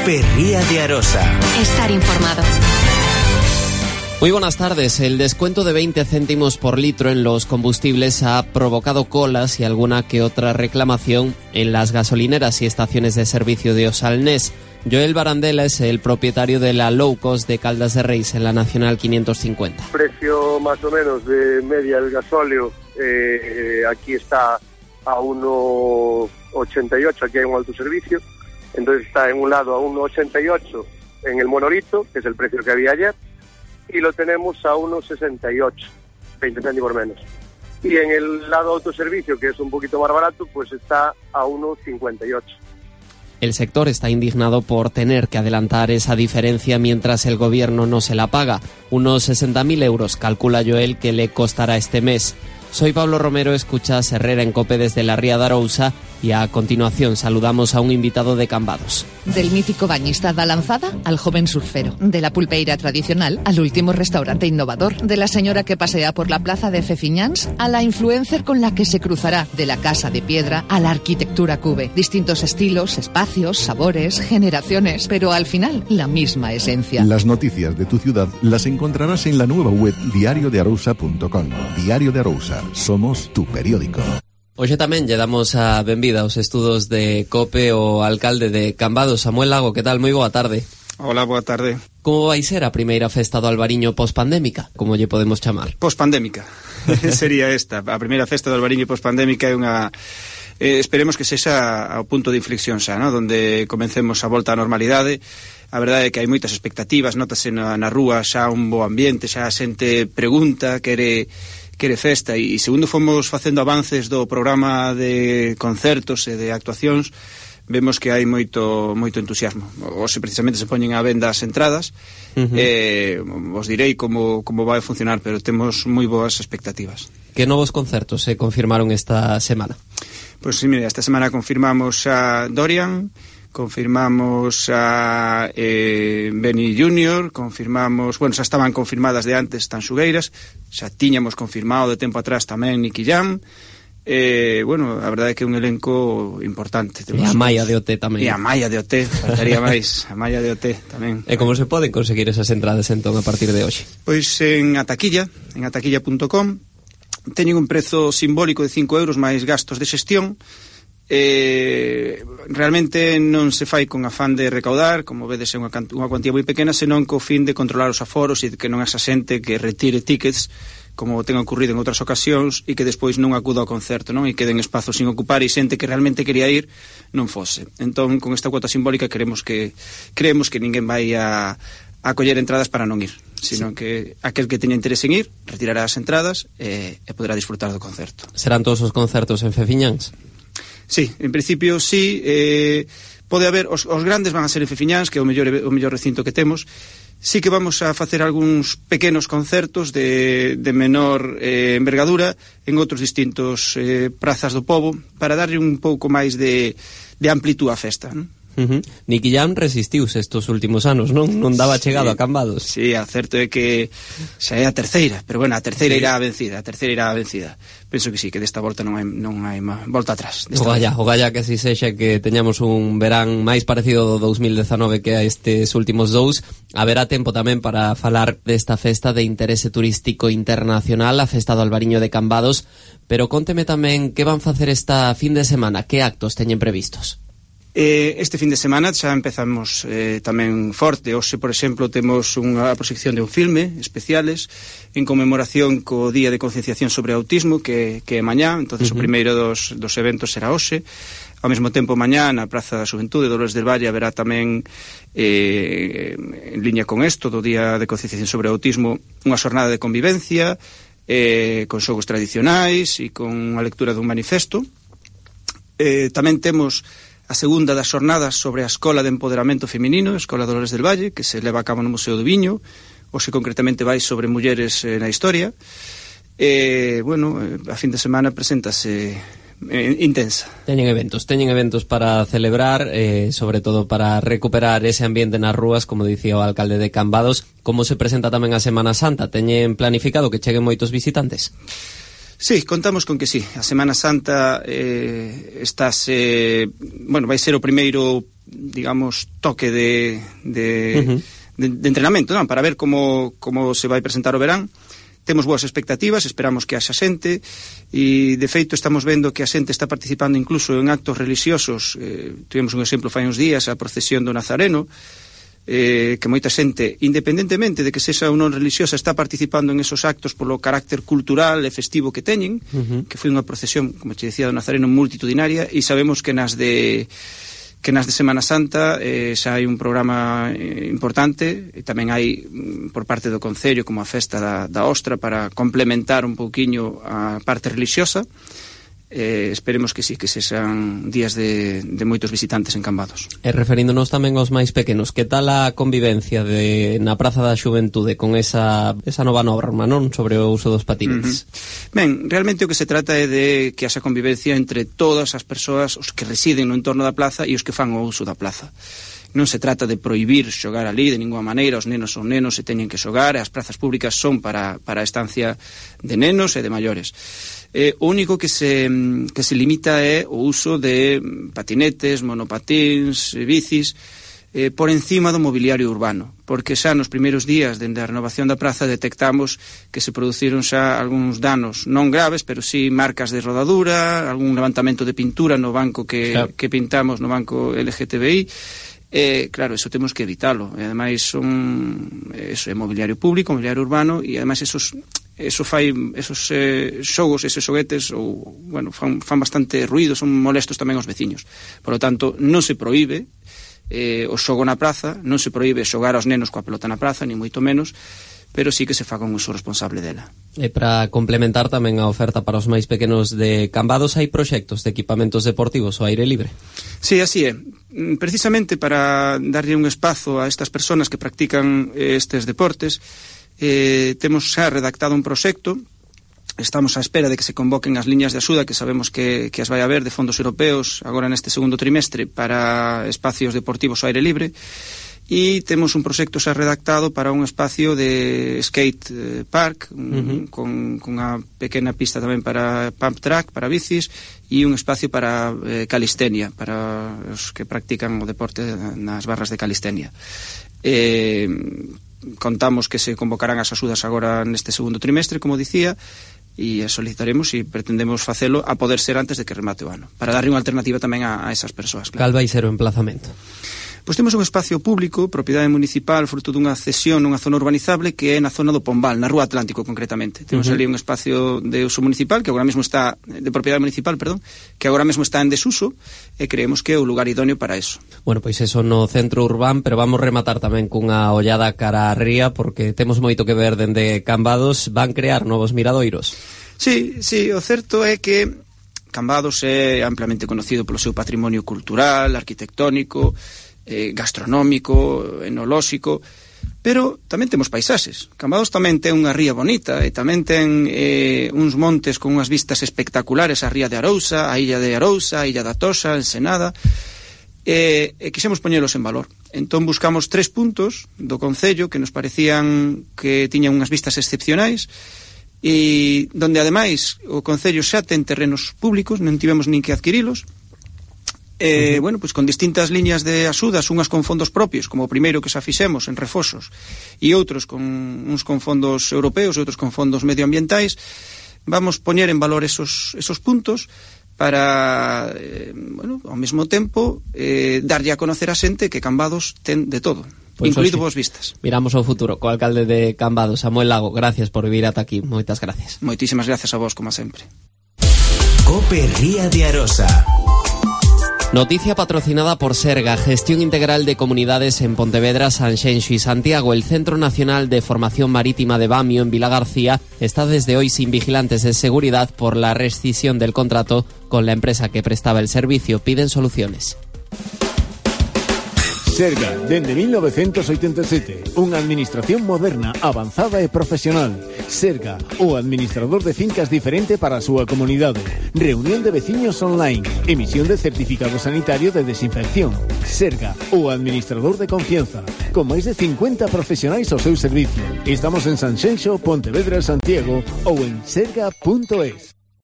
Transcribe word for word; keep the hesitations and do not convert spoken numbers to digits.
Cope Ría de Arosa. Estar informado. Muy buenas tardes. El descuento de veinte céntimos por litro en los combustibles ha provocado colas y alguna que otra reclamación en las gasolineras y estaciones de servicio de Osalnés. Joel Barandela es el propietario de la low cost de Caldas de Reis en la Nacional quinientos cincuenta. Precio más o menos de media el gasóleo, eh, aquí está a uno ochenta y ocho, aquí hay un autoservicio, entonces está en un lado a uno ochenta y ocho en el Monorito, que es el precio que había ayer, y lo tenemos a uno sesenta y ocho, veinte céntimos menos. Y en el lado autoservicio, que es un poquito más barato, pues está a uno cincuenta y ocho. El sector está indignado por tener que adelantar esa diferencia mientras el gobierno no se la paga. Unos sesenta mil euros calcula Joel que le costará este mes. Soy Pablo Romero, escuchas Herrera en Cope desde la Ría de Arousa y a continuación saludamos a un invitado de Cambados. Del mítico bañista da lanzada al joven surfero, de la pulpeira tradicional al último restaurante innovador, de la señora que pasea por la plaza de Fefiñáns a la influencer con la que se cruzará, de la casa de piedra a la arquitectura cube. Distintos estilos, espacios, sabores, generaciones, pero al final la misma esencia. Las noticias de tu ciudad las encontrarás en la nueva web diario de arousa punto com. Diario de Arousa, somos tu periódico. Hoxe tamén lle damos a benvida aos estudos de Cope o alcalde de Cambados, Samuel Lago. Que tal? Moi boa tarde. Hola, boa tarde. Como vai ser a primeira festa do Albariño pospandémica, como lle podemos chamar? Pospandémica. Sería esta. A primeira festa do Albariño pospandémica é unha... Eh, esperemos que sexa ao punto de inflexión xa, ¿no? Donde comencemos a volta á normalidade. A verdade é que hai moitas expectativas, notase na, na rúa xa un bo ambiente, xa a xente pregunta, quere... quere festa, e segundo fomos facendo avances do programa de concertos e de actuacións, vemos que hai moito moito entusiasmo. Hoxe precisamente se poñen á venda as entradas. Uh-huh. eh, os direi como, como vai a funcionar, pero temos moi boas expectativas. Que novos concertos se confirmaron esta semana? Pois sí, mira, esta semana confirmamos a Dorian, confirmamos a eh, Benny junior, confirmamos, bueno, xa estaban confirmadas de antes Tanxugueiras, xa tiñamos confirmado de tempo atrás tamén Nicky Jam, eh, bueno, a verdade é que é un elenco importante. E a Maia de O T tamén. E a Maia de O T, faltaría máis, a Maia de O T tamén. E como se poden conseguir esas entradas entón a partir de hoxe? Pois en Ataquilla, en ataquilla punto com, teñen un prezo simbólico de cinco euros máis gastos de xestión. Eh, realmente non se fai con afán de recaudar, como vedes é unha, unha cuantía moi pequena, senón co fin de controlar os aforos e que non esa xente que retire tickets, como ten ocurrido en outras ocasións, e que despois non acuda ao concerto, non? E queden espazos sin ocupar e xente que realmente quería ir non fose. Entón, con esta cuota simbólica queremos que creemos que ninguén vai a, a coller entradas para non ir, sino sí, que aquel que teña interés en ir retirará as entradas e, e poderá disfrutar do concerto. Serán todos os concertos en Fefiñáns? Sí, en principio sí, eh, pode haber, os, os grandes van a ser en Fefiñáns, que é o mellor, o mellor recinto que temos. Sí que vamos a facer algúns pequenos concertos de, de menor eh, envergadura en outros distintos eh, prazas do pobo, para darlle un pouco máis de, de amplitud á festa, non? Uh-huh. Nicky Jam resistiuse estos últimos anos, non? Non daba chegado sí, a Cambados. Sí, a certo é que xa é a terceira, pero bueno, a terceira sí, irá a vencida, a terceira irá a vencida. Penso que sí, que desta volta non hai, non hai má, volta atrás. O galla, o galla que así sexa, que teñamos un verán máis parecido do dos mil dezanove que a estes últimos dous. Haberá tempo tamén para falar desta festa de interese turístico internacional, a festa do Albariño de Cambados, pero conteme tamén que van facer esta fin de semana, que actos teñen previstos? Eh, este fin de semana xa empezamos eh, tamén forte. Hoxe, por exemplo, temos unha proxección de un filme especiales en conmemoración co Día de Concienciación sobre Autismo, que, que é mañá, entonces uh-huh. o primeiro dos, dos eventos será hoxe. Ao mesmo tempo, mañá, na Praza da Xuventude, Dolores del Valle, haberá tamén, eh, en liña con isto, do Día de Concienciación sobre Autismo, unha xornada de convivencia, eh, con xogos tradicionais e con a lectura dun manifesto. Eh, tamén temos a segunda das xornadas sobre a Escola de Empoderamento Feminino, a Escola Dolores del Valle, que se leva a cabo no Museo do Viño. Hoxe concretamente vai sobre mulleres eh, na historia. E, bueno, a fin de semana preséntase eh, intensa. Teñen eventos, teñen eventos para celebrar, eh, sobre todo para recuperar ese ambiente nas rúas, como dicía o alcalde de Cambados. Como se presenta tamén a Semana Santa? Teñen planificado que cheguen moitos visitantes? Sí, contamos con que sí. A Semana Santa eh, estás, eh, bueno, vai ser o primeiro digamos, toque de, de, uh-huh. de, de entrenamento, non? Para ver como, como se vai presentar o verán. Temos boas expectativas, esperamos que haxa xente, e de feito estamos vendo que a xente está participando incluso en actos religiosos. Eh, tivemos un exemplo fai uns días, a procesión do Nazareno, eh, que moita xente, independentemente de que sexa ou non religiosa, está participando en esos actos polo carácter cultural e festivo que teñen, uh-huh. que foi unha procesión, como te decía, do Nazareno multitudinaria, e sabemos que nas de... que nas de Semana Santa eh, xa hai un programa eh, importante, e tamén hai por parte do Concello como a festa da, da Ostra para complementar un pouquiño a parte religiosa. Eh, esperemos que sí, que sexan días de, de moitos visitantes en Cambados. E referíndonos tamén aos máis pequenos, que tal a convivencia de, na Praza da Xuventude con esa, esa nova norma, non? Sobre o uso dos patinetes. Uh-huh. Ben, realmente o que se trata é de que haxa convivencia entre todas as persoas, os que residen no entorno da plaza e os que fan o uso da plaza. Non se trata de prohibir xogar ali de ninguna maneira, os nenos son nenos e teñen que xogar, e as prazas públicas son para, para a estancia de nenos e de maiores. Eh, o único que se, que se limita é o uso de patinetes, monopatíns, bicis, eh, por encima do mobiliario urbano, porque xa nos primeiros días dende a renovación da praza detectamos que se produciron xa algúns danos non graves, pero sí marcas de rodadura, algún levantamento de pintura no banco que, claro. que pintamos no banco L G T B I. Eh, claro, eso temos que evitalo, e ademais son eso é mobiliario público, mobiliario urbano, e ademais esos eso fai esos eh, xogos, esos xoguetes ou, bueno, fan, fan bastante ruido, son molestos tamén aos veciños. Por lo tanto, non se proíbe eh, o xogo na praza, non se proíbe xogar aos nenos coa pelota na praza, ni moito menos, pero sí que se faga un uso responsable dela. E para complementar tamén a oferta para os máis pequenos de Cambados, hai proxectos de equipamentos deportivos ao aire libre? Sí, así é. Precisamente para darlle un espazo a estas persoas que practican estes deportes, eh, temos xa redactado un proxecto. Estamos á espera de que se convoquen as liñas de axuda que sabemos que, que as vai haber de fondos europeos agora neste segundo trimestre para espacios deportivos ao aire libre, e temos un proxecto xa redactado para un espacio de skate park, un, uh-huh. con, con unha pequena pista tamén para pump track, para bicis, e un espacio para eh, calistenia, para os que practican o deporte nas barras de calistenia. Eh, contamos que se convocarán as axudas agora neste segundo trimestre, como dicía, e solicitaremos e pretendemos facelo a poder ser antes de que remate o ano, para darle unha alternativa tamén a, a esas persoas. Claro. Cal vai ser o emplazamento? Pois temos un espacio público, propiedade municipal, fruto dunha cesión nunha zona urbanizable que é na zona do Pombal, na Rúa Atlántico concretamente. Temos uh-huh. ali un espacio de uso municipal, que agora mesmo está, de propiedade municipal, perdón, que agora mesmo está en desuso, e creemos que é o lugar idóneo para eso. Bueno, pois eso no centro urbán, pero vamos rematar tamén cunha ollada cara a ría, porque temos moito que ver dende Cambados, van crear novos miradoiros. Sí, sí, o certo é que Cambados é amplamente conocido polo seu patrimonio cultural, arquitectónico, eh, gastronómico, enolóxico, pero tamén temos paisaxes. Cambados tamén ten unha ría bonita e tamén ten eh, uns montes con unhas vistas espectaculares, a ría de Arousa, a illa de Arousa, a illa da Toxa, Ensenada, e, e quixemos poñelos en valor. Entón buscamos tres puntos do Concello que nos parecían que tiñan unhas vistas excepcionais, e donde ademais o Concello xa ten terrenos públicos, non tivemos nin que adquirilos. Eh, uh-huh. Bueno, pois con distintas liñas de axudas, unhas con fondos propios, como o primeiro que xa fixemos en Refosos, e outros con uns con fondos europeos e outros con fondos medioambientais, vamos poñer en valor esos, esos puntos para, eh, bueno, ao mesmo tempo eh, darlle a conocer a xente que Cambados ten de todo, pues incluído vos vistas. Miramos ao futuro co alcalde de Cambados, Samuel Lago. Gracias por vir ata aquí, moitas gracias. Moitísimas gracias a vos, como sempre. Cope Ría de Arosa. Noticia patrocinada por Serga, Gestión Integral de Comunidades en Pontevedra, Sanxenxo y Santiago. El Centro Nacional de Formación Marítima de Bamio, en Vilagarcía, está desde hoy sin vigilantes de seguridad por la rescisión del contrato con la empresa que prestaba el servicio. Piden soluciones. Serga, dende mil novecientos oitenta e sete, unha administración moderna, avanzada e profesional. Serga, o administrador de fincas diferente para a súa comunidade. Reunión de veciños online, emisión de certificado sanitario de desinfección. Serga, o administrador de confianza, con máis de cincuenta profesionais ao seu servicio. Estamos en Sanxenxo, Pontevedra, Santiago ou en serga punto es.